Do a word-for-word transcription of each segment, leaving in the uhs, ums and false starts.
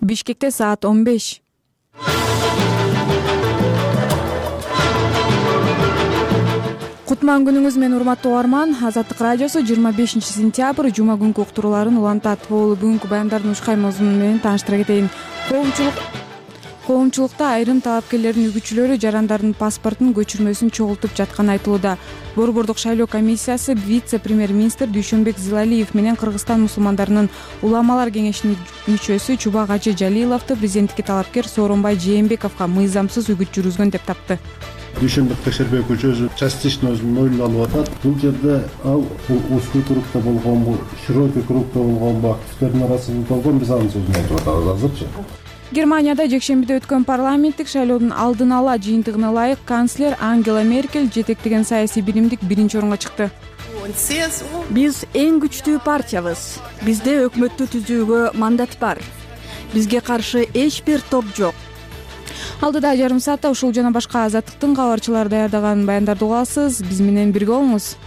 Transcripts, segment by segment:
Бишкекте саат он беш. Кутман күнүңүз менен урматтуу угарман. Азаттык радиосу жыйырма бешинчи сентябрь жума күнкү уктурууларын улантат. Болу бүгүнкү баяндардын ушкай мазмуну менен тааныштыра кетейин. Коомчулук Коомчулукта айрым талапкерлердин үгүтчүлөрү жарандардын паспортун көчүрмөсүн чогултуп жатканы айтылууда. Борбордук шайлоо комиссиясы вице-премьер-министр Дүйшөнбек Зилалиев менен Кыргызстан мусулмандарынын уламалар кеңешинин мүчөсү Чубак Ажы Жалиловду президенттикке талапкер Сооронбай Жээнбековго мыйзамсыз үгүт жүргүзгөн деп тапты. Дүйшөнбек Текшербекович өзү частично өзүнүн моюнуна алып атат. Бул жерде ал узкий кругда болгонбу, широкий кругда болгонбу активдердин арасында болгон, биз анын сөзүн айтып атабыз азырчы. Германияда жекшембиде өткөн парламенттик шайлоодун алдын ала жыйынтыгына ылайык канцлер Ангела Меркель жетектеген саясий биримдик биринчи орунга чыкты. Биз эң күчтүү партиябыз. Бизде өкмөттү түзүүгө мандат бар. Бизге каршы эч бир топ жок. Алдыда жарым саатта ушул жана башка Азаттыктын кабарчылары даярдаган баяндарды угасыз. Биз менен бирге болуңуз.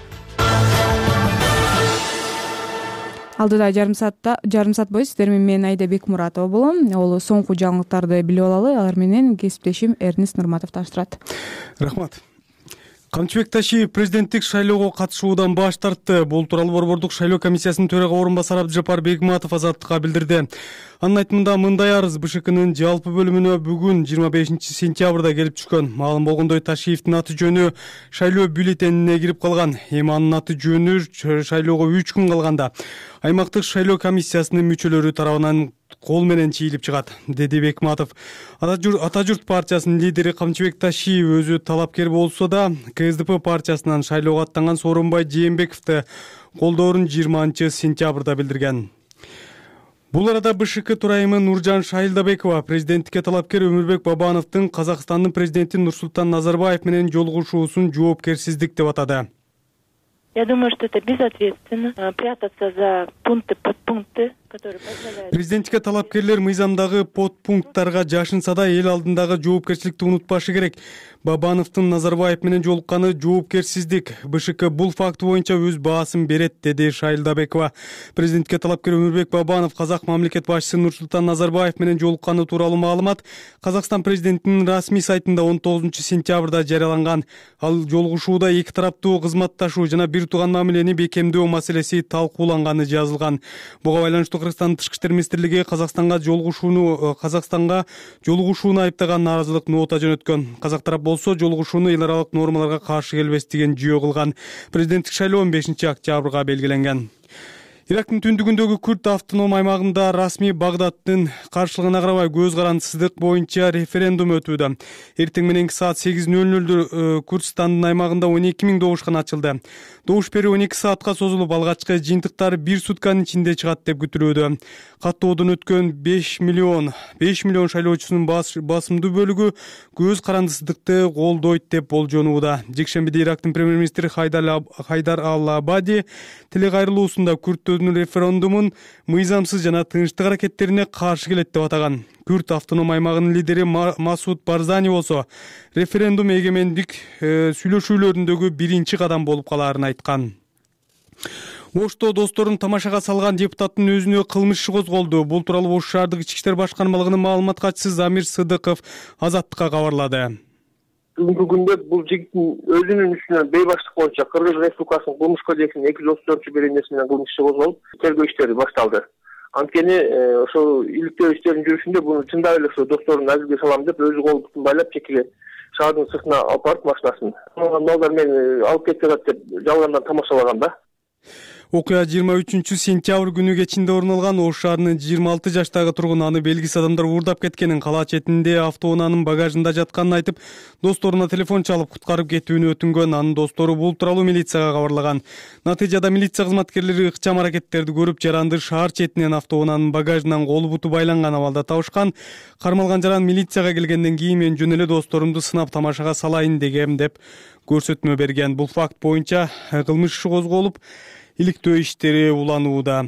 Алдыда жарым саатта жарым саат бою сиздер менен мен Айда Бекмуратова болом. Ол соңку жаңылыктарды билип алалы. Алар менен кесиптешим Эрнест Нурматов таныштырат. Рахмат. Камчыбек Ташиев президенттик шайлоого катышуудан баш тартты. Бул тууралуу Борбордук шайлоо комиссиясынын төрага орун басары Абдыжапар Бегматов Азаттыкка билдирди. Анын айтымында мындай арыз БШКнын жалпы бөлүмүнө бүгүн жыйырма бешинчи сентябрда келип түшкөн. Маалым болгондой, Ташиевдин аты жөнү шайлоо бюллетенине кирип калган. Эми анын аты жөнү шайлоого үч күн калганда аймактык шайлоо комиссиясынын мүчөлөрү тарабынан кол менен чийилип чыгат, деди Бекматов. Ата журт партиясынын лидери Камчыбек Ташиев өзү талапкер болсо да, КСДП партиясынан шайлоого аттанган Сооронбай Жээнбековду колдоорун жыйырманчы сентябрда билдирген. Бул арада БШК төрайымы Нуржан Шайлдабекова президенттикке талапкер Өмүрбек Бабановдун Казакстандын президенти Нурсултан Назарбаев менен жолугушуусун жоопкерсиздик деп атады. Я думаю, что это безответственно прятаться за пункты, подпункты, которые позволяют. Президенттикке талапкерлер мыйзамдагы подпункттарга жашынса да эл алдындагы жоопкерчиликти унутпашы керек. Бабановдун Назарбаев менен жолукканы жоопкерсиздик. БШК бул факт боюнча өз баасын берет, деди Шайлдабекова. Президентке талапкер Өмүрбек Бабанов казак мамлекет башчысы Нурсултан Назарбаев менен жолукканы тууралуу маалымат Казакстан президентинин расмий сайтында он тогузунчу сентябрда жарыяланган. Ал жолугушууда эки тараптуу кызматташуу жана бир тууган мамилени бекемдөө маселеси талкууланганы жазылган. Буга байланыштуу Кыргызстандын тышкы иштер министрлиги Казакстанга жолугушууну Казакстанга жолугушууну айыптаган нааразылык нота жөнөткөн. Казак тарап болсо жолугушууну эл аралык нормаларга каршы келбес деген жүйө кылган. Президенттик шайлоо он бешинчи октябрга белгиленген. Ирактын түндүгүндөгү Күрд автоном аймагында расмий Багдадтын каршылыгына карабай көз карандысыздык боюнча референдум өтүүдө. Эртең мененки саат сегиз нөл нөлдө Курдстандын аймагында он эки миң добушкана ачылды. Добуш берүү он эки саатка созулуп, алгачкы жыйынтыктар бир сутканын ичинде чыгат деп күтүлүүдө. Каттоодон өткөн беш миллион шайлоочусунун басымдуу бөлүгү көз карандысыздыкты колдойт деп болжонууда. Жекшембиде Ирактын премьер-министри Хайдар Ал-Абади телекайрылуусунда Күрд референдумун мыйзамсыз жана тынчтык аракеттерине каршы келет деп атаган. Күрд автоном аймагынын лидери Масуд Барзани болсо референдум эгемендик сүйлөшүүлөрүндөгү биринчи кадам болуп калаарын айткан. Ошто досторун тамашага салган депутаттын өзүнө кылмыш иши козголду. Бул тууралуу Ош шаардык ички иштер башкармалыгынын маалымат катчысы Замир Сыдыков Азаттыкка кабарлады. Бүгүнкү күндө бул жигиттин өзүнүн үстүнөн бейбаштык боюнча Кыргыз Республикасынын кылмыш кодексинин эки жүз отуз төртүнчү беренеси менен кылмыш иши козголуп, тергөө иштери башталды. Анткени ошол иликтөө иштеринин жүрүшүндө буну чындап эле ошо досторун азилге салам деп өзү кол бутун байлап чекиге шаардын сыртына алып барып машинасын балдар мени алып кетип жатат деп жалгандан тамашалаган да. Окуя жыйырма үчүнчү сентябрь күнү кечинде орун алган. Ош шаарынын жыйырма алты жаштагы тургуну аны белгисиз адамдар уурдап кеткенин, кала четинде автоунаанын багажында жатканын айтып, досторуна телефон чалып куткарып кетүүнү өтүнгөн. Анын достору бул тууралуу милицияга кабарлаган. Натыйжада милиция кызматкерлери ыкчам аракеттерди көрүп, жаранды шаар четинен автоунаанын багажынан колу буту байланган абалда табышкан. Кармалган жаран милицияга келгенден кийин мен жөн эле досторумду сынап тамашага салайын дегем деп көрсөтмө берген. Бул факт боюнча кылмыш иши козголуп, иликтөө иштери уланууда.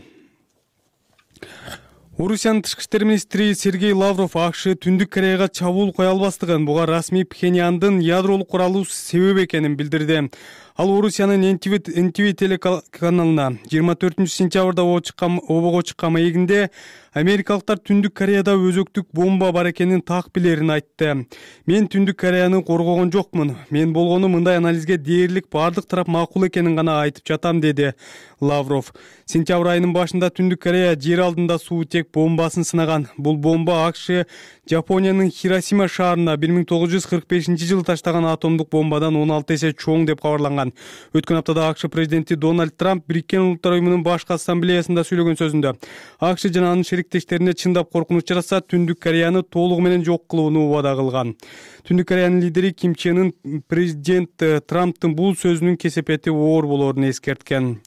Орусиянын тышкы иштер министри Сергей Лавров АКШ Түндүк Кореяга чабуул кое албастыгын, буга расмий Пхеньяндын ядролук куралы себеп экенин билдирди. Ал Орусиянын эн ти ви телеканалына жыйырма төртүнчү сентябрда обого чыккан маегинде америкалыктар Түндүк Кореяда өзөктүк бомба бар экенин так билерин айтты. Мен Түндүк Кореяны коргогон жокмун. Мен болгону мындай анализге дээрлик бардык тарап макул экенин гана айтып жатам, деди Лавров. Сентябрь айынын башында Түндүк Корея жер алдында суутек бомбасын сынаган. Бул бомба АКШ Жапониянын Хиросима шаарына бир миң тогуз жүз кырк бешинчи жылы таштаган атомдук бомбадан он алты эсе чоң деп кабарланган. Өткөн аптада АКШ президенти Дональд Трамп Бириккен Улуттар уюмунун башкы ассамблеясында сөйлөгөн сөзүндө АКШ жана анын шериктештерине чындап коркунуч жаратса, Түндүк Кореяны толугу менен жок кылууну убада кылган. Түндүк Кореянын лидери Ким Чен Ын президент Трамптын бул сөзүнүн кесепети оор болоорун эскерткен.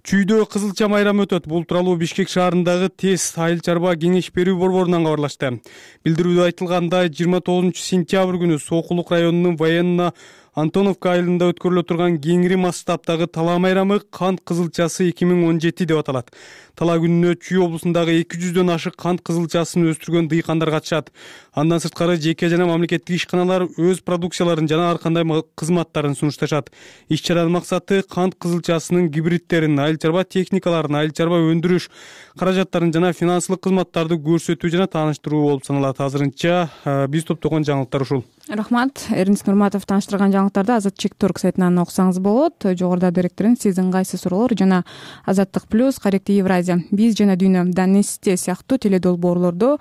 Чүйдө кызылча майрамы өтөт. Бул тууралуу Бишкек шаарындагы ТЭС айыл чарба кеңеш берүү борборунан кабарлашты. Билдирүүдө айтылгандай, жыйырма тогузунчу сентябрь күнү Сокулук районунун Военно Антоновка айылында өткөрүлө турган кеңири масштабтагы талаа майрамы кант кызылчасы эки миң он жети деп аталат. Талаа күнүнө Чүй облусундагы эки жүздөн ашык кант кызылчасын өстүргөн дыйкандар катышат. Андан сырткары жеке жана мамлекеттик ишканалар өз продукцияларын жана ар кандай кызматтарын сунушташат. Иш-чаранын максаты кант кызылчасынын гибридтерин, айыл чарба техникаларын, айыл чарба өндүрүш каражаттарын жана финансылык кызматтарды көрсөтүү жана тааныштыруу болуп саналат. Азырынча биз топтогон жаңылыктар ушул. Рахмат. Эрнис Нурматов тааныштырган жаңылыктарды Азаттык точка орг сайтынан окусаңыз болот. Жогоруда беректирин сиздин кайсы суроолор жана Азаттык плюс, Корректив Евразия, Биз жана Дүйнө, Данесте сыяктуу теледолбоорлордо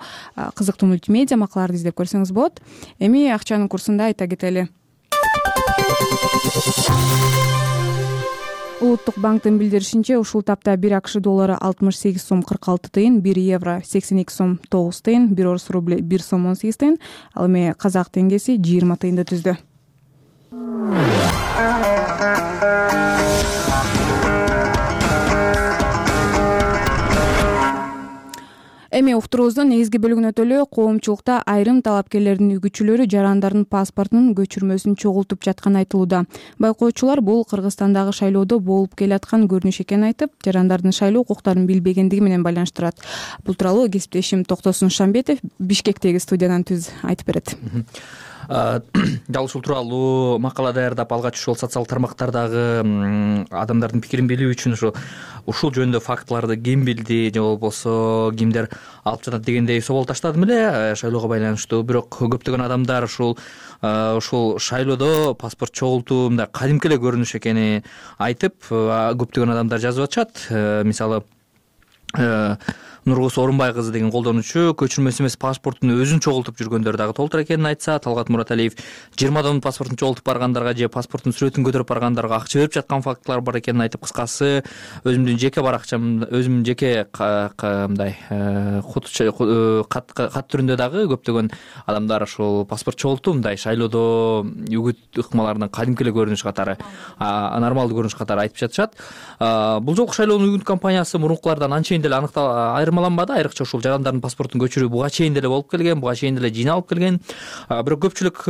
кызыктуу мультимедиа макалаларды издеп көрсөңүз болот. Эми акчанын курсунда айта кетели. Улуттук банктын билдиришинче, ушул тапта бир АКШ доллары алтымыш сегиз сом кырк алты тыйын, бир евро сексен эки сом тогуз тыйын, бир орус рубли бир сом он сегиз тыйын, ал эми казак теңгеси жыйырма тыйынды түздү. Эми уктуруубуздун негизги бөлүгүнө өтөлү. Коомчулукта айрым талапкерлердин үгүтчүлөрү жарандардын паспортунун көчүрмөсүн чогултуп жатканы айтылууда. Байкоочулар бул Кыргызстандагы шайлоодо болуп келаткан көрүнүш экенин айтып, жарандардын шайлоо укуктарын билбегендиги менен байланыштырат. Бул тууралуу кесиптешим Токтосун Шамбетов Бишкектеги студиядан түз айтып берет. Дал ушул тууралуу макала даярдап, алгач ушул социалдык тармактардагы адамдардын пикирин билүү үчүн ушул ушул жөнүндө фактыларды ким билди же болбосо кимдер алып жатат дегендей собол таштадым эле шайлоого байланыштуу. Бирок көптөгөн адамдар ушул ушул шайлоодо паспорт чогултуу мындай кадимки эле көрүнүш экенин айтып, көптөгөн адамдар жазып атышат. Мисалы, Нургус Орунбай кызы деген колдонуучу көчүрмөсү эмес паспортун өзүн чогултуп жүргөндөр дагы толтур экенин айтса, Талгат Мураталиев жыйырмадан паспортун чогултуп баргандарга же паспорттун сүрөтүн көтөрүп баргандарга акча берип жаткан фактылар бар экенин айтып, кыскасы өзүмдүн жеке баракчам, өзүмдүн жеке мындай кат түрүндө дагы көптөгөн адамдар ушул паспорт чогултуу мындай шайлоодо үгүт ыкмаларынын кадимки эле көрүнүш катары, нормалдуу көрүнүш катары айтып жатышат. Бул жолку шайлоонун үгүт кампаниясы мурункулардан анчейин деле аныктал айырмаланбады. Айрыкча ушул жарандардын паспортун көчүрүү буга чейин деле болуп келген, буга чейин деле жыйналып келген. Бирок көпчүлүк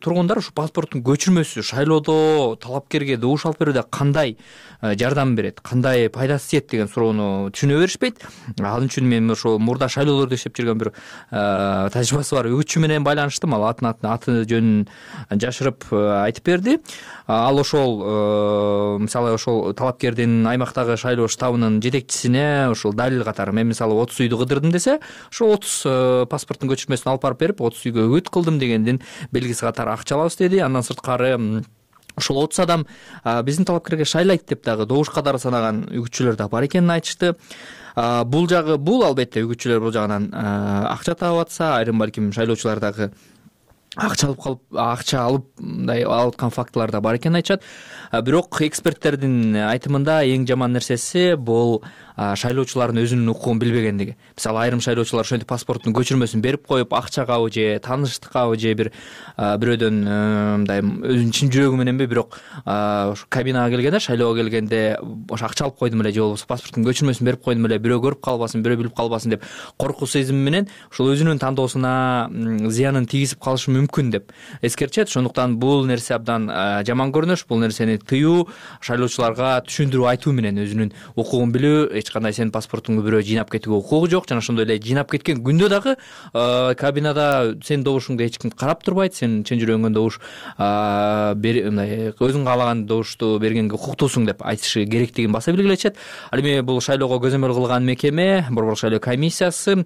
тургундар ушул паспорттун көчүрмөсү шайлоодо талапкерге добуш алып берүүдө кандай жардам берет, кандай пайдасы тиет деген суроону түшүнө беришпейт. Ал үчүн мен ошол мурда шайлоолордо иштеп жүргөн бир тажрыйбасы бар үгүтчү менен байланыштым. Ал атын аты жөнүн жашырып айтып берди. Ал ошол мисалы ошол талапкердин аймактагы шайлоо штабынын жетекчисине ошол далил катары, мен мисалы отуз үйдү кыдырдым десе, ошол отуз паспорттун көчүрмөсүн алып барып берип, отуз үйгө үгүт кылдым дегендин белгиси катары акча алабыз деди. Андан сырткары ошол отуз адам биздин талапкерге шайлайт деп дагы добуш катары санаган үгүтчүлөр да бар экенин айтышты. Бул жагы бул албетте үгүтчүлөр бул жагынан акча таап атса, айрым балким шайлоочулар дагы акча алып калып, акча алып мындай алып аткан фактылар да бар экенин айтышат. Бирок эксперттердин айтымында эң жаман нерсеси бул шайлоочулардын өзүнүн укугун билбегендиги. Мисалы, айрым шайлоочулар ошентип паспорттун көчүрмөсүн берип коюп, акчагабы же тааныштыкабы же бир бирөөдөн мындай өзүнүн чын жүрөгү мененби, бирок ошо кабинага келгенде, шайлоого келгенде ошо акча алып койдум эле же болбосо паспорттун көчүрмөсүн берип койдум эле, бирөө көрүп калбасын, бирөө билип калбасын деп коркуу сезими менен ошол өзүнүн тандоосуна зыянын тийгизип калышы мүмкүн деп эскертишет. Ошондуктан бул нерсе абдан жаман көрүнүш. Бул нерсени тыюу, шайлоочуларга түшүндүрүү айтуу менен өзүнүн укугун билүү эч кандай сенин паспортуңду бирөө жыйнап кетүүгө укугу жок жана ошондой эле жыйнап кеткен күндө дагы кабинада сенин добушуңду эч ким карап турбайт. Сен чын жүрөгүңөн добуш мындай өзүң каалаган добушту бергенге укуктуусуң деп айтышы керектигин баса белгилечет. Ал эми бул шайлоого көзөмөл кылган мекеме Борбордук шайлоо комиссиясы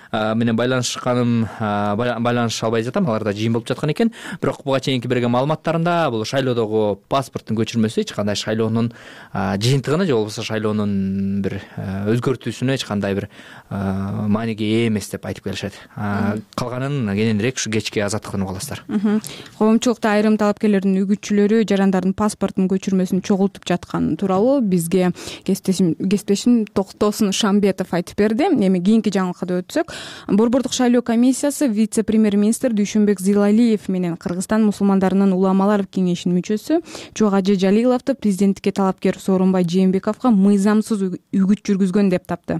менен байланышканым байланыша албай жатам. Аларда жыйын болуп жаткан экен. Бирок буга чейинки берген маалыматтарында бул шайлоодогу паспорттун көчүрмөсү эч кандай шайлоонун жыйынтыгына же болбосо шайлоонун бир өзгөртүүсүнө эч кандай бир мааниге ээ эмес деп айтып келишет. Калганын кененирээк ушу кечки азаттыктан уга аласыздар. Коомчулукта айрым талапкерлердин үгүтчүлөрү жарандардын паспортунун көчүрмөсүн чогултуп жатканы тууралуу бизге кесиптешим Токтосун Шамбетов айтып берди. Эми кийинки жаңылыкка өтсөк, Борбордук шайлоо комиссиясы вице-премьер-министр Дүйшөнбек Зыйлалиев менен Кыргызстан мусулмандарынын уламалар кеңешинин мүчөсү Чубак Ажы Жалиловду президенттикке талапкер Сооронбай Жээнбековго мыйзамсыз үгүт жүргүзгөн деп тапты.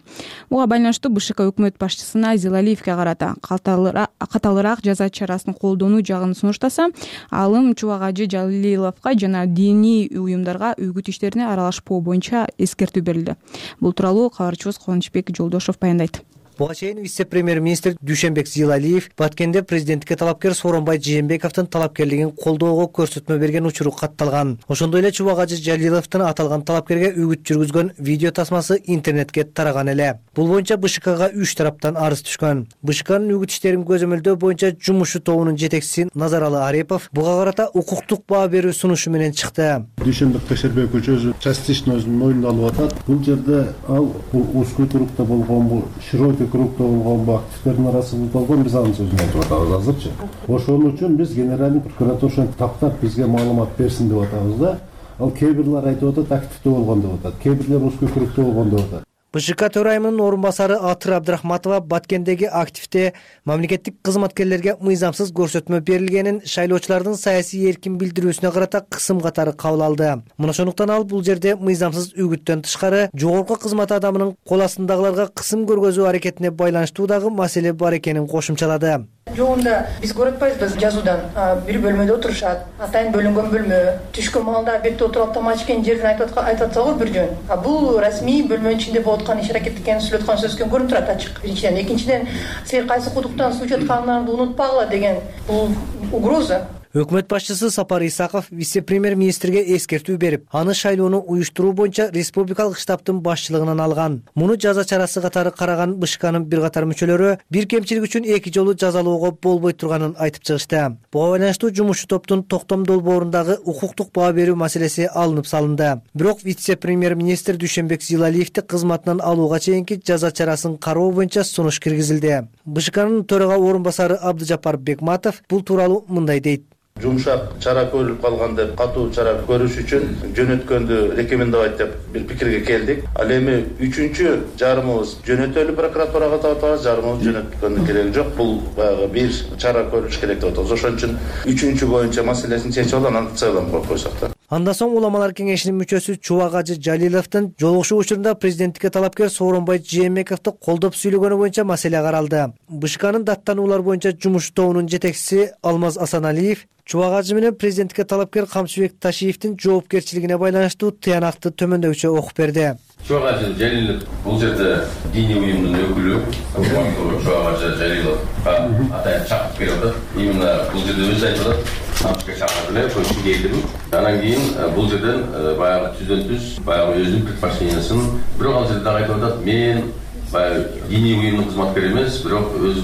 Буга байланыштуу БШК өкмөт башчысына Зыйлалиевге карата катаалыраак жаза чарасын колдонуу жагын сунуштаса, алым Чубак Ажы Жалиловго жана диний уюмдарга үгүт иштерине аралашпоо боюнча эскертүү берилди. Бул тууралуу кабарчыбыз Кубанычбек Жолдошов баяндайт. Буга чейин вице-премьер-министр Дүйшөнбек Зыйлалиев Баткенде президенттикке талапкер Сооронбай Жээнбековдун талапкерлигин колдоого көрсөтмө берген учуру катталган. Ошондой эле Чубак Ажы Жалиловдун аталган талапкерге үгүт жүргүзгөн видео тасмасы интернетке тараган эле. Бул боюнча БШКга үч тараптан арыз түшкөн. БШКнын үгүт иштерин көзөмөлдөө боюнча жумушчу тобунун жетекчиси Назаралы Арипов буга карата укуктук баа берүү сунушу менен чыкты. Дүйшөнбек Кайшербекович өзү частично өзүнүн мойнуна алып атат. Бул жерде ал узкий кругда болгон бул широкий кругда болгон бу активдердин арасында болгон биз анын сөзүн айтып атабыз азырчы. Ошон үчүн биз генеральный прокуратура ошентип тактап бизге маалымат берсин деп атабыз да. Ал кээ бирлер айтып атат активде болгон деп атат, кээ бирлер узкий кругда болгон деп атат. БШК төрайымынын орун басары Атыр Абдрахматова Баткендеги активде мамлекеттик кызматкерлерге мыйзамсыз көрсөтмө берилгенин шайлоочулардын саясий эркин билдирүүсүнө карата кысым катары кабыл алды. Мына ошондуктан ал бул жерде мыйзамсыз үгүттөн тышкары жогорку кызмат адамынын кол астындагыларга кысым көргөзүү аракетине байланыштуу дагы маселе бар экенин кошумчалады. Жогунда биз көрүп атпайбызбы жазуудан бир бөлмөдө отурушат, атайын бөлүнгөн бөлмө, түшкөн маалда бетте отуруп тамак ичкен жерден айтып атса го бир жөн. А бул расмий бөлмөнүн ичинде болуп аткан иш аракет экенин сүйлөп аткан сөзгө көрүнүп турат ачык. Биринчиден, экинчиден, силер кайсы кудуктан суу ичип атканыңарды унутпагыла деген бул угроза. Өкмөт башчысы Сапар Исаков вице-премьер-министрге эскертүү берип, аны шайлоону уюштуруу боюнча республикалык штабтын башчылыгынан алган. Муну жаза чарасы катары караган БШКнын бир катар мүчөлөрү бир кемчилик үчүн эки жолу жазалоого болбой турганын айтып чыгышты. Буга байланыштуу жумушчу топтун токтом долбоорундагы укуктук баа берүү маселеси алынып салынды. Бирок вице-премьер-министр Дүйшөнбек Зыйлалиевди кызматынан алууга чейинки жаза чарасын кароо боюнча сунуш киргизилди. БШКнын төрага орун басары Абдыжапар Бекматов бул тууралуу мындай дейт. Жумшак чара көрүлүп калган деп, катуу чара көрүш үчүн жөнөткөндү рекомендовать деп бир пикирге келдик. Ал эми үчүнчү жарымыбыз жөнөтөлү прокуратурага деп атабыз, жарымыбыз жөнөткөндүн кереги жок. Бул баягы бир чара көрүш керек деп атабыз. Ошон үчүн үчүнчү боюнча маселесин чечип алып, анан целом коюп койсок да. Андан соң уламалар кеңешинин мүчөсү Чубак Ажы Жалиловдун жолугушуу учурунда президенттикке талапкер Сооронбай Жээнбековду колдоп сүйлөгөнү боюнча маселе каралды. БШКнын даттануулар боюнча жумуш тобунун жетекчиси Алмаз Асаналиев Чубак Ажы менен президенттикке талапкер Камчыбек Ташиевдин жоопкерчилигине байланыштуу тыянакты төмөндөгүчө окуп берди. Чубак Ажы Жалилов бул жерде диний уюмдун өкүлү, Чубак Ажы Жалиловга атайын чакырып берип атат. Именно бул жерде өзү айтып атат, Камчыбек чакырды эле, көчүп келдим. Анан кийин бул жерден баягы түздөн түз баягы өзүнүн предпочтениясын, бирок ал жерде айтып атат, мен баягы диний уюмдун кызматкери эмес, бирок өз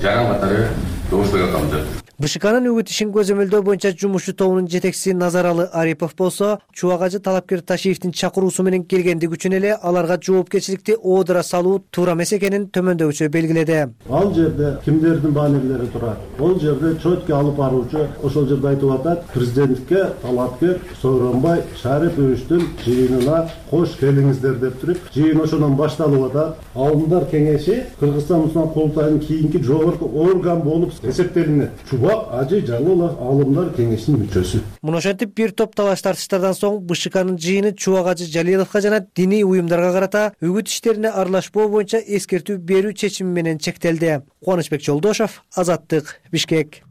жаран катары добуш берип атам деп. БШКнын үгүт ишин көзөмөлдөө боюнча жумушчу тобунун жетекчиси Назаралы Арипов болсо, Чубак Ажы талапкер Ташиевдин чакыруусу менен келгендиги үчүн эле аларга жоопкерчиликти оодура салуу туура эмес экенин төмөндөгүчө белгиледи. Ал жерде кимдердин баанелери турат? Ол жерде чөткө алып баруучу ошол жерде айтып атат, президентке талапкер Сооронбай Шариповичтин жыйынына кош келиңиздер деп туруп, жыйын ошондон башталып атат. Алымдар кеңеши Кыргызстан мусулман курултайынын кийинки жогорку орган болуп эсептелинет. Чубак Ажы Жалилов алымдар кеңешинин мүчөсү. Муну ошентип бир топ талаш тартыштардан соң БШКнын жыйыны Чубак Ажы Жалиловго жана диний уюмдарга карата үгүт иштерине аралашпоо боюнча эскертүү берүү чечими менен чектелди. Кубанычбек Жолдошов, Азаттык, Бишкек.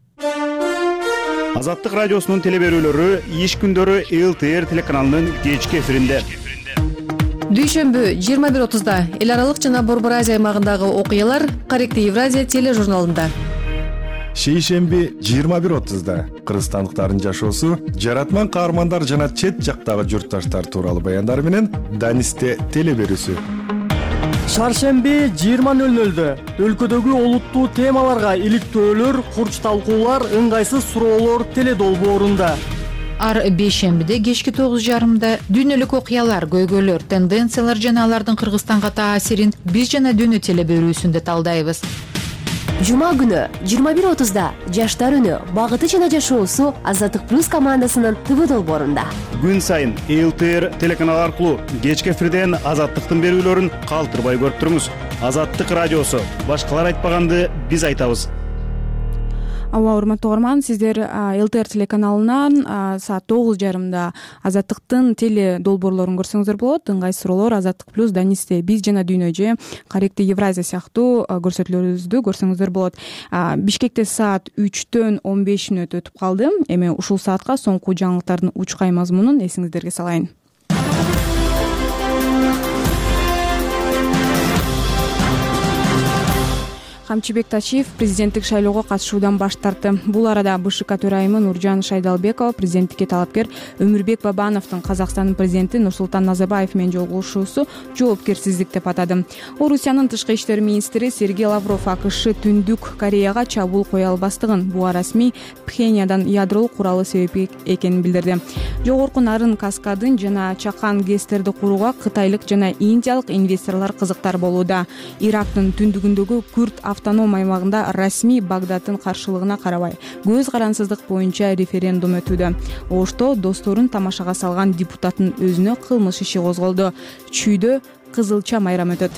Азаттык радиосунун теле берүүлөрү иш күндөрү эл тэ эр телеканалынын кечки эфиринде. дүйшөмбү жыйырма бир отузда эл аралык жана Борбор Азия аймагындагы окуялар Корректив Евразия тележурналында. Шейшемби жыйырма бир отузда кыргызстандыктардын жашоосу, жаратман каармандар жана чет жактагы журтташтар тууралуу баяндар менен Данисте телеберүүсү. Шаршемби жыйырма нөл нөлдө өлкөдөгү олуттуу темаларга иликтөөлөр, курч талкуулар, ыңгайсыз суроолор теледолбоорунда. Ар бейшембиде кечки тогуз жарымда дүйнөлүк окуялар, көйгөйлөр, тенденциялар жана алардын Кыргызстанга таасирин биз жана дүйнө телеберүүсүндө талдайбыз. Жума күнү жыйырма бир отузда Жаштар үнү, багыты жана жашоосу Азаттык плюс командасынын ТВ долбоорунда. Күн сайын Эл Т Р телеканалы аркылуу кечки эфирден Азаттыктын берүүлөрүн калтырбай көрүп туруңуз. Азаттык радиосу, башкалар айтпаганды биз айтабыз. Ооба, урматтуу угарман, сиздер Эл Т Р телеканалынан саат тогуз жарымда Азаттыктын теле долбоорлорун көрсөңүздөр болот. Ыңгайсыз суроолор, Азаттык плюс, Данисте биз жана дүйнө же Корректив Евразия сыяктуу көрсөтүүлөрүбүздү көрсөңүздөр болот. Бишкекте саат үчтөн он беш мүнөт өтүп калды. Эми ушул саатка соңку жаңылыктардын учкай мазмунун эсиңиздерге салайын. Камчыбек Тачиев президенттик шайлоого катышуудан баш тартты. Бул арада Б Ш К төрайымы Нуржан Шайдалбекова президенттикке талапкер Өмүрбек Бабановдун Казакстандын президенти Нурсултан Назарбаев менен жолугушуусу жоопкерсиздик деп атады. Орусиянын тышкы иштер министри Сергей Лавров А К Ш Түндүк Кореяга чабуул кое албастыгын, буга расмий Пхеньяндан ядролук куралы себеп экенин билдирди. Жогорку Нарын Каскадын жана Чакан ГЭСтерди курууга кытайлык жана индиялык инвесторлор кызыктар болууда. Ирактын түндүгүндөгү Күрд автоном аймагында расмий Багдадтын каршылыгына карабай көз карансыздык боюнча референдум өтүүдө. Ошто досторун тамашага салган депутаттын өзүнө кылмыш иши козголду. Чүйдө кызылча майрам өтөт.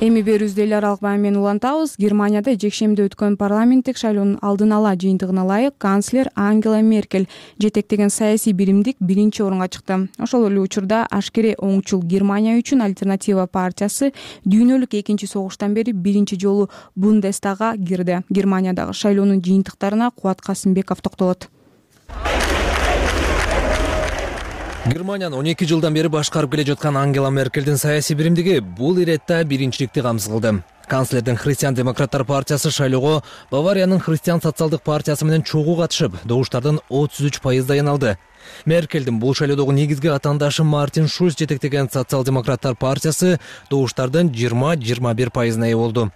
Эми берүүбүздү эл аралык баян менен улантабыз. Германияда жекшемби өткөн парламенттик шайлоонун алдын ала жыйынтыгына ылайык канцлер Ангела Меркель жетектеген саясий биримдик биринчи орунга чыкты. Ошол эле учурда ашкере оңчул Германия үчүн Альтернатива партиясы дүйнөлүк экинчи согуштан бери биринчи жолу Бундестагга кирди. Германиядагы шайлоонун жыйынтыктарына Кубат Касымбеков токтолот. Германияны он эки жылдан бери башкарып келе жаткан Ангела Меркельдин саясий биримдиги бул иретте биринчиликти камсыз кылды. Канцлердин Христиан-демократтар партиясы шайлоого Бавариянын Христиан социалдык партиясы менен чогуу катышып, добуштардын отуз үч пайыздан алды. Меркельдин бул шайлоодогу негизги атаандашы Мартин Шульц жетектеген социал-демократтар партиясы добуштардын жыйырма жыйырма бир пайызына ээ болду.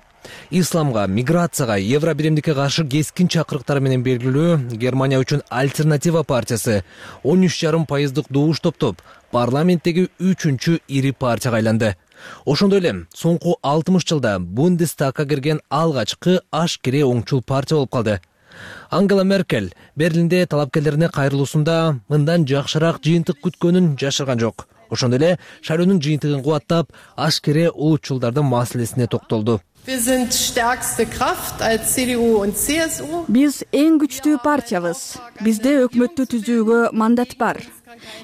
Исламга, миграцияга, евро биримдикке каршы кескин чакырыктар менен белгилүү Германия үчүн Альтернатива партиясы он үч жарым пайыздык добуш топтоп, парламенттеги үчүнчү ири партияга айланды. Ошондой эле соңку алтымыш жылда Бундестагга кирген алгачкы ашкере оңчул партия болуп калды. Ангела Меркель Берлинде талапкерлерине кайрылуусунда мындан жакшыраак жыйынтык күткөнүн жашырган жок. Ошондой эле шайлоонун жыйынтыгын кубаттап, ашкере улутчулдардын маселесине токтолду. Биз эң күчтүү партиябыз. Бизде өкмөттү түзүүгө мандат бар.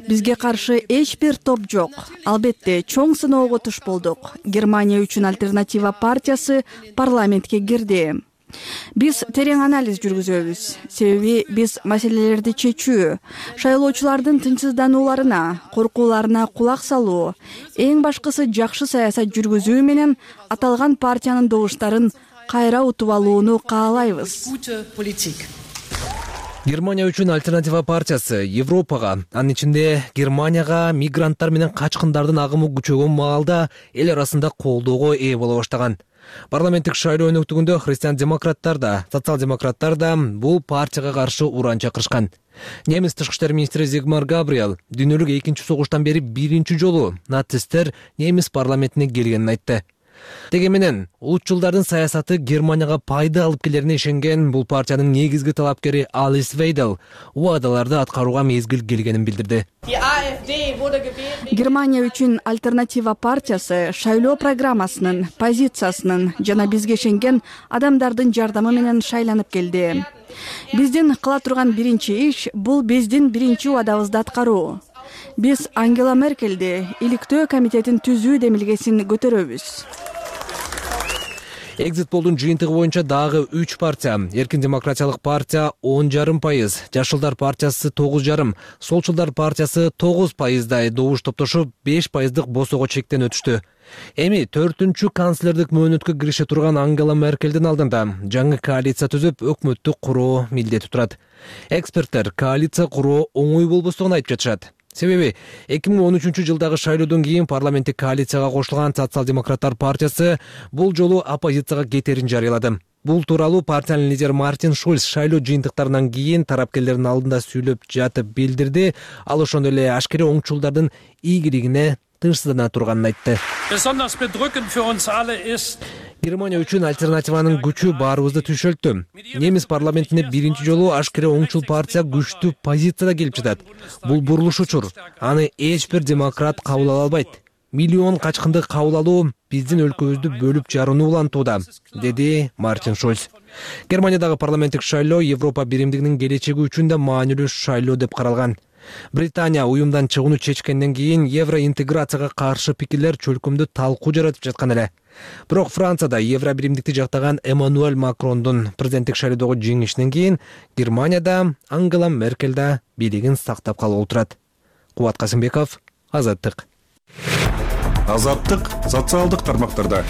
Бизге каршы эч бир топ жок. Албетте, чоң сыноого туш болдук. Германия үчүн Альтернатива партиясы парламентке кирди. Биз терең анализ жүргүзөбүз. Себеби биз маселелерди чечүү, шайлоочулардын тынчсызданууларына, коркууларына кулак салуу, эң башкысы жакшы саясат жүргүзүү менен аталган партиянын добуштарын кайра утуп алууну каалайбыз. Германия үчүн Альтернатива партиясы Европага, анын ичинде Германияга мигранттар менен качкындардын агымы күчөгөн маалда эл арасында колдоого ээ боло баштаган. Парламенттик шайлоо өнөктүгүндө христиан-демократтар да, социал-демократтар да бул партияга каршы уран чакырышкан. Немис тышкы иштер министри Зигмар Габриэл дүйнөлүк экинчи согуштан бери биринчи жолу нацисттер немис парламентине келгенин айтты. Деги менен улутчулдардын саясаты Германияга пайда алып келерине ишенген бул партиянын негизги талапкери Алис Вейдел убадаларды аткарууга мезгил келгенин билдирди. Германия үчүн Альтернатива партиясы шайлоо программасынын, позициясынын жана бизге ишенген адамдардын жардамы менен шайланып келди. Биздин кыла турган биринчи иш бул биздин биринчи убадабызды аткаруу. Биз Ангела Меркельди иликтөө комитетин түзүү демилгесин көтөрөбүз. экзит полдун жыйынтыгы боюнча дагы үч партия эркин демократиялык партия он жарым пайыз, жашылдар партиясы тогуз жарым, солчулдар партиясы тогуз пайыздай добуш топтошуп беш пайыздык босого чектен өтүштү. Эми төртүнчү канцлердик мөөнөткө кирише турган Ангела Меркелдин алдында жаңы коалиция түзүп өкмөттү куруу милдети турат. Эксперттер коалиция куруу оңой болбостугун айтып жатышат. Себеби эки миң он үчүнчү жылдагы шайлоодон кийин парламенттик коалицияга кошулган социал-демократтар партиясы бул жолу оппозицияга кетерин жарыялады. Бул тууралуу партиянын лидери Мартин Шульц шайлоо жыйынтыктарынан кийин тараптардын алдында сүйлөп жатып билдирди. Ал ошондой эле ашкере оңчулдардын ийгилигине тынчсыздана турганын айтты. Германия үчүн альтернативанын күчү баарыбызды түшөлттү. Немис парламентине биринчи жолу ашкере оңчул партия күчтүү позицияда келип жатат. Бул бурулуш учур. Аны эч бир демократ кабыл ала албайт. Миллион качкынды кабыл алуу биздин өлкөбүздү бөлүп жарууну улантууда, деди Мартин Шульц. Германиядагы парламенттик шайлоо Европа биримдигинин келечеги үчүн да маанилүү шайлоо деп каралган. Британия уюмдан чыгууну чечкенден кийин евроинтеграцияга каршы пикирлер чөлкөмдү талкуу жаратып жаткан эле. Бирок Францияда евро биримдикти жактаган Эммануэль Макрондун президенттик шайлоодогу жеңишинен кийин Германияда Ангела Меркель да бийлигин сактап калып отурат. Кубат Касымбеков, Азаттык. Азаттык социалдык тармактарда.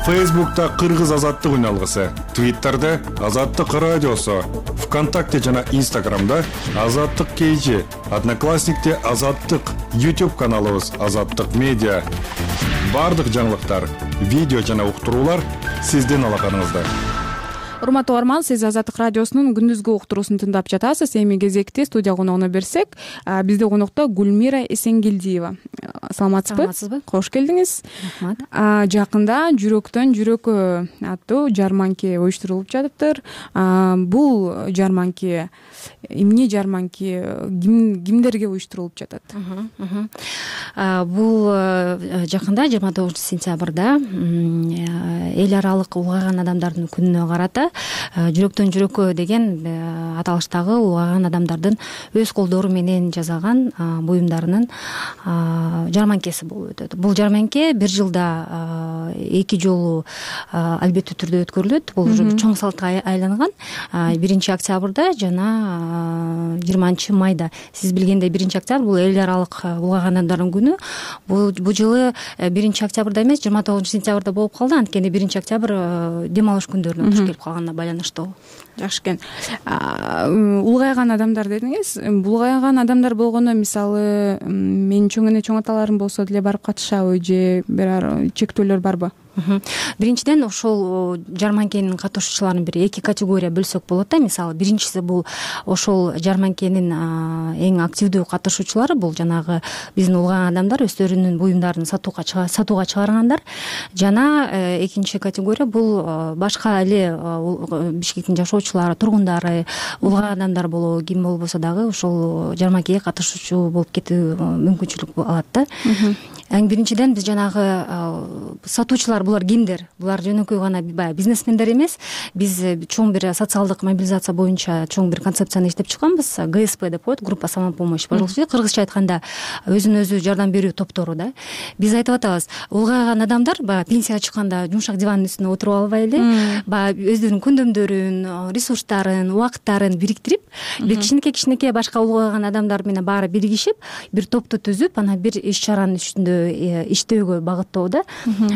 Фейсбукта Кыргыз азаттык үналгысы, Твиттерде Азаттык радиосу, ВКонтакте жана Инстаграмда Азаттык кейжи, Одноклассникте Азаттык, YouTube каналыбыз Азаттык медиа. Бардык жаңылыктар, видео жана уктуруулар сиздин алаканыңызда. Урматтуу угарман, сиз Азаттык радиосунун күндүзгү уктуруусун тыңдап жатасыз. Эми кезекти студия коногуна берсек, бизде конокто Гүлмира Эсенгелдиева. Саламатсызбы? Саламатсызбы? Кош келдиңиз. Рахмат. Жакында жүрөктөн жүрөккө аттуу жарманке уюштурулуп жатыптыр. Бул жарманке эмне жарманке, кимдерге уюштурулуп жатат? Бул жакында жыйырма тогузунчу сентябрда эл аралык улгайган адамдардын күнүнө карата жүрөктөн жүрөккө деген аталыштагы улгайган адамдардын өз колдору менен жасаган буюмдарынын жарманкеси болуп өтөт. Бул жарманке бир жылда эки жолу албеттүү түрдө өткөрүлөт. Бул уже чоң салтка айланган. биринчи октябрда жана жыйырманчы майда. Сиз билгендей биринчи октябрь бул эл аралык улгайган адамдардын күнү. Бул бул жылы биринчи октябрда эмес, жыйырма тогузунчу сентябрда болуп калды. Анткени биринчи октябрь дем алыш күндөрүнө туш келип калганына байланыштуу. Жакшы экен. Улгайган адамдар дедиңиз. Улгайган адамдар болгондо, мисалы, менин чоң эне чоң аталарым болсо деле барып катышабы же бир чектөөлөр барбы? Биринчиден ошол жарманкенин катышуучуларын бир эки категория бөлсөк болот да. Мисалы, биринчиси бул ошол жарманкенин эң активдүү катышуучулары, бул жанагы биздин улгайган адамдар өздөрүнүн буюмдарын сатууга сатууга чыгаргандар. Жана экинчи категория бул башка эле Бишкектин жашоочулары, тургундары, улгайган адамдар болобу, ким болбосо дагы ошол жарманкеге катышуучу болуп кетүү мүмкүнчүлүк алат да. Эң биринчиден биз жанагы сатуучулар булар кимдер? Булар жөнөкөй гана баягы бизнесмендер эмес. Биз чоң бир социалдык мобилизация боюнча чоң бир концепцияны иштеп чыкканбыз. ГСП деп коет, группа самопомощи. Кыргызча айтканда өзүнө өзү жардам берүү топтору да. Биз айтып атабыз, улгайган адамдар баягы пенсияга чыкканда жумшак дивандын үстүнө отуруп албай эле, баягы өздөрүнүн күндөмдөрүн, ресурстарын, убакыттарын бириктирип, бир кичинекей кичинекей башка улгайган адамдар менен баары биригишип, бир топту түзүп, анан бир иш чаранын үстүндө иштөөгө багыттоо да.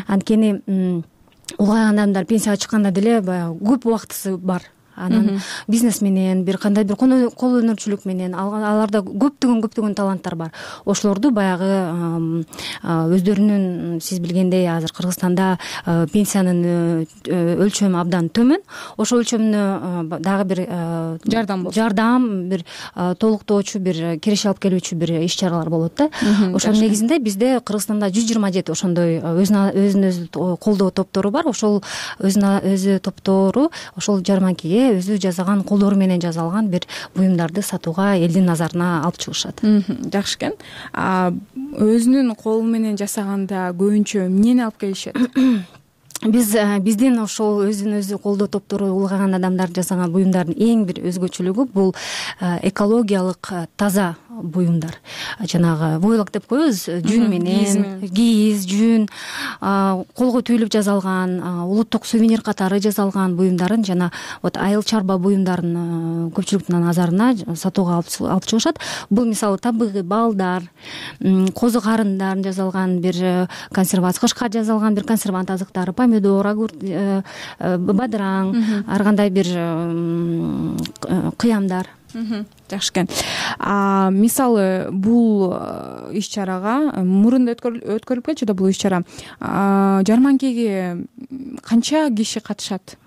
Анткени улгайган адамдар пенсияга чыкканда деле баягы көп убактысы бар. Анан бизнес менен, бир кандай бир кол өнөрчүлүк менен аларда көптөгөн көптөгөн таланттар бар. Ошолорду баягы өздөрүнүн, сиз билгендей, азыр Кыргызстанда пенсиянын өлчөмү абдан төмөн. Ошол өлчөмүнө дагы бир жардам болот. Жардам, бир толуктоочу, бир киреше алып келүүчү бир иш чаралар болот да. Ошонун негизинде бизде Кыргызстанда жүз жыйырма жети ошондой өзүн өзү колдоо топтору бар. Ошол өзүнө өзү топтору ошол жарманкеге өзү жасаган, колдору менен жасалган бир буюмдарды сатууга элдин назарына алып чыгышат. Жакшы экен. Өзүнүн колу менен жасаганда көбүнчө эмнени алып келишет? Биз биздин ошол өзүн өзү колдоо топтору улгайган адамдар жасаган буюмдардын эң бир өзгөчөлүгү бул экологиялык таза буюмдар, жанагы войлок деп коебуз, жүн менен, кийиз, жүн, колго түйүлүп жасалган, улуттук сувенир катары жасалган буюмдарын жана вот айыл чарба буюмдарын көпчүлүктүн назарына сатууга алып чыгышат. Бул мисалы табыгый балдар, козу карындарын жасалган бир консервация, кышка жасалган бир консервант азыктары, помидор, огурт, бадыраң, ар кандай бир кыямдар. Жакшы экен. Мисалы бул иш чарага мурун өткөрүлүп келчү да, бул иш чара жарманкеге канча киши катышат?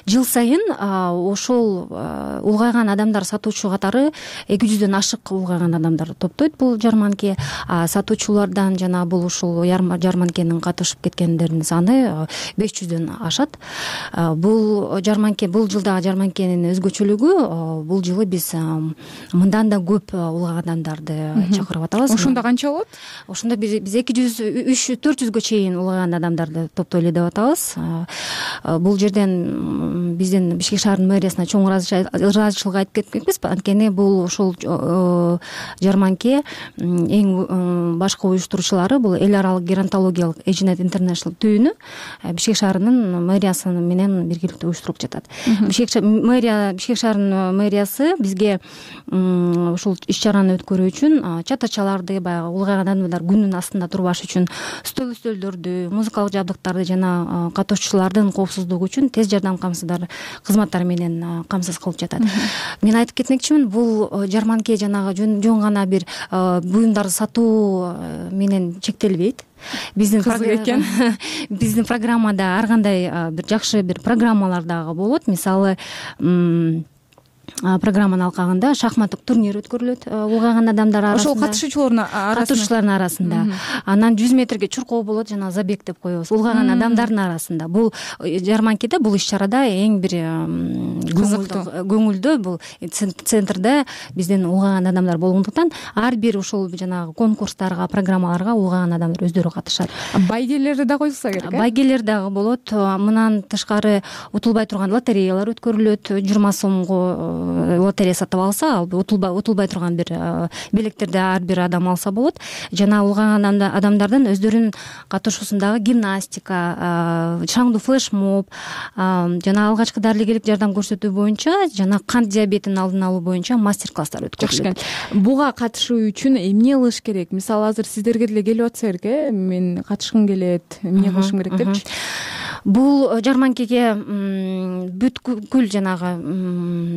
Жыл сайын ошол улгайган адамдар, сатуучу катары эки жүздөн ашык улгайган адамдар топтойт бул жарманке. Сатуучулардан жана бул ушул жарманкенин катышып кеткендердин саны беш жүздөн ашат. Бул жарманке, бул жылдагы жарманкенин өзгөчөлүгү, бул жылы биз мындан да көп улгайган адамдарды чакырып атабыз. Ошондо канча болот? Ошондо биз эки жүз, үч, төрт жүзгө чейин улгайган адамдарды топтойлу деп атабыз. Бул жерден биздин Бишкек шаарынын мэриясына чоң ыраазычылык айтып кеткенбиз. Анткени бул ошол жарманке эң башкы уюштуруучулары бул эл аралык геронтологиялык Эжинет Интернешнл түйүнү Бишкек шаарынын мэриясы менен биргеликте уюштуруп жатат. Бишкек мэрия, Бишкек шаарынын мэриясы бизге ушул иш чараны өткөрүү үчүн чатачаларды, баягы улгайган адамдар күнүнүн астында турбаш үчүн стол үстөлдөрдү, музыкалык жабдыктарды жана катышуучулардын коопсуздугу үчүн тез жардам камсыздар кызматтары менен камсыз кылып жатат. Мен айтып кетмекчимин, бул жарманке жанагы жөн гана бир буюмдарды сатуу менен чектелбейт. Биздин экен. Биздин программада ар кандай бир жакшы бир программалар дагы болот. Мисалы, программанын алкагында шахматтык турнир өткөрүлөт улгайган адамдар арасында. Ошол катышуучулардын арасында. Катышуучулардын арасында. Анан жүз метрге чуркоо болот, жана забег деп коебуз. Улгайган адамдардын арасында. Бул жарманкеде, бул иш чарада эң бир көңүлдүү, бул центрде биздин улгайган адамдар болгондуктан ар бир ушул жанагы конкурстарга, программаларга улгайган адамдар өздөрү катышат. Байгелер да коюлса керек. Байгелер дагы болот. Мындан тышкары утулбай турган лотереялар өткөрүлөт. жыйырма сомго лотерея сатып алса, ал утулбай турган бир билектерди ар бир адам алса болот. Жана улгайган адамдардын өздөрүнүн катышуусундагы гимнастика, шаңдуу флешмоб, жана алгачкы дарылегелик жардам көрсөтүү боюнча жана кант диабетин алдын алуу боюнча мастер-класстар өткөрүлөт. Буга катышуу үчүн эмне кылыш керек? Мисалы, азыр сиздерге деле келип атса керек, э, мен катышкым келет, эмне кылышым керек депчи? Бул жарманкеге бүткүл жанагы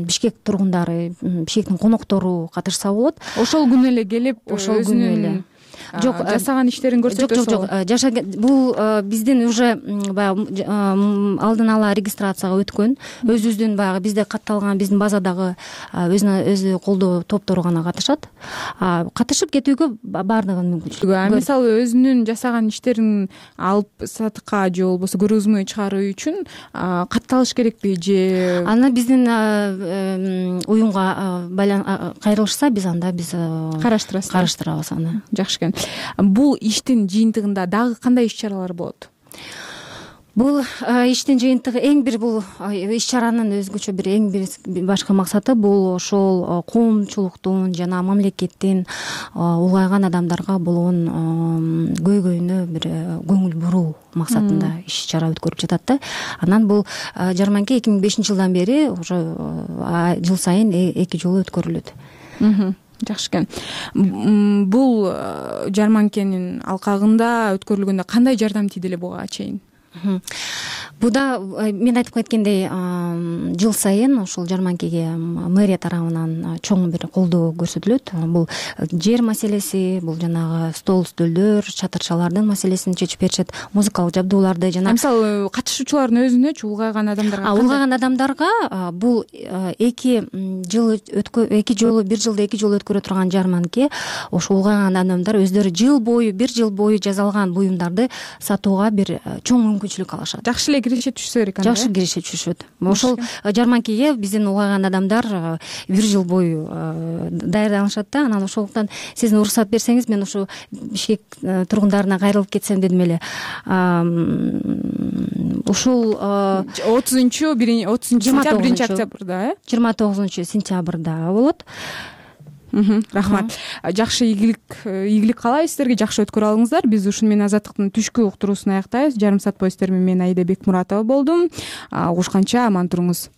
Бишкек тургундары, Бишкектин коноктору катышса болот. Ошол күнү эле келип, ошол күнү эле жок жасаган иштерин көрсөтөсү. Жок, жок, жок. Бул биздин уже баягы алдын ала регистрацияга өткөн, өзүбүздүн баягы бизде катталган биздин базадагы өзүнө өзү колдоо топтору гана катышат. Катышып кетүүгө баардыгынын мүмкүнчүлүгү. Мисалы, өзүнүн жасаган иштерин алып сатыкка же болбосо көргөзмө чыгаруу үчүн катталыш керекпи же? Аны биздин уюмга кайрылышса, биз анда биз караштырабыз. Караштырабыз аны. Жакшы экен. Бул иштин жыйынтыгында дагы кандай иш чаралар болот? Бул иштин жыйынтыгы эң бир бул иш чаранын өзгөчө бир эң бир башкы максаты бул ошол коомчулуктун жана мамлекеттин улгайган адамдарга болгон көйгөйүнө бир көңүл буруу максатында иш чара өткөрүлүп жатат да. Анан бул жарманке эки миң бешинчи жылдан бери уже жыл сайын эки жолу өткөрүлөт. Жакшы экен. Бул жарманкенин алкагында өткөрүлгөндө кандай жардам тийди эле буга чейин? Буда мен айтып кеткендей, жыл сайын ушул жарманкеге мэрия тарабынан чоң бир колдоо көрсөтүлөт. Бул жер маселеси, бул жанагы стол үстөлдөр, чатырчалардын маселесин чечип беришет, музыкалык жабдууларды жана мисалы катышуучулардын өзүнөчү улгайган адамдарга улгайган адамдарга бул эки жыл эки жолу бир жылда эки жолу өткөрө турган жарманке ошо улгайган адамдар өздөрү жыл бою бир жыл бою жасалган буюмдарды сатууга бир чоң мүмкүнчүлүк алышат. Жакшы эле киреше түшсө керек анда. Жакшы киреше түшөт. Ошол жарманкеге биздин улгайган адамдар бир жыл бою даярданышат да. Анан ошондуктан сиз уруксат берсеңиз, мен ушу Бишкек тургундарына кайрылып кетсем дедим эле. Ушул отузунчу сентябрь биринчи октябрда, э? жыйырма тогузунчу сентябрда болот. Рахмат. Жакшы ийгилик ийгилик каалайбыз сиздерге, жакшы өткөрүп алыңыздар. Биз ушуну менен Азаттыктын түшкү уктуруусун аяктайбыз. Жарым саат бою сиздер менен мен Аида Бекмуратова болдум. Угушканча аман туруңуз.